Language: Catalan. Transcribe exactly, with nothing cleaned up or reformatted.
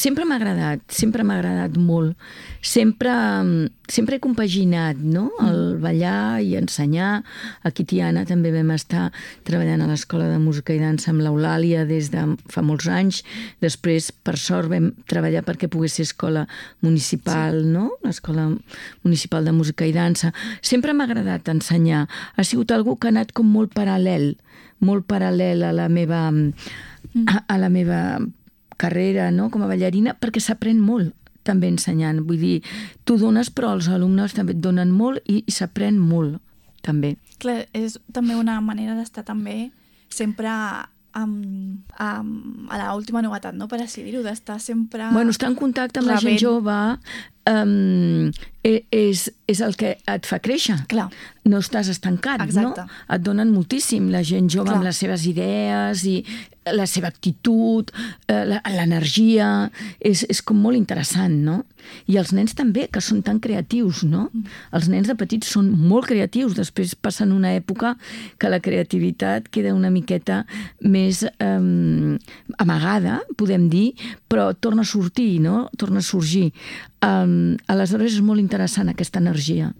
Sempre m'ha agradat, sempre m'ha agradat molt. Sempre, sempre he compaginat, no? El ballar i ensenyar. Aquí a Tiana també vam estar treballant a l'Escola de Música i Dansa amb l'Eulàlia des de fa molts anys. Després, per sort, vam treballar perquè pogués ser escola municipal, sí. no? L'Escola Municipal de Música i Dansa. Sempre m'ha agradat ensenyar. Ha sigut algú que ha anat com molt paral·lel, molt paral·lel a la meva, a, a la meva carrera, no? Com a ballarina, perquè s'aprèn molt també ensenyant. Vull dir, tu dones, però els alumnes també et donen molt i, i s'aprèn molt, també. Clar, és també una manera d'estar també sempre amb, amb, a l'última novetat, no? Per així dir-ho, d'estar sempre... Bueno, estar en contacte amb rebent. La gent jove um, és, és el que et fa créixer. Clar. No estàs estancat, Exacte. no? Et donen moltíssim la gent jove Clar. Amb les seves idees i la seva actitud, l'energia, és, és com molt interessant, no? I els nens també, que són tan creatius, no? Mm. Els nens de petits són molt creatius, després passen una època que la creativitat queda una miqueta més eh, amagada, podem dir, però torna a sortir, no? Torna a sorgir. Um, aleshores és molt interessant aquesta energia.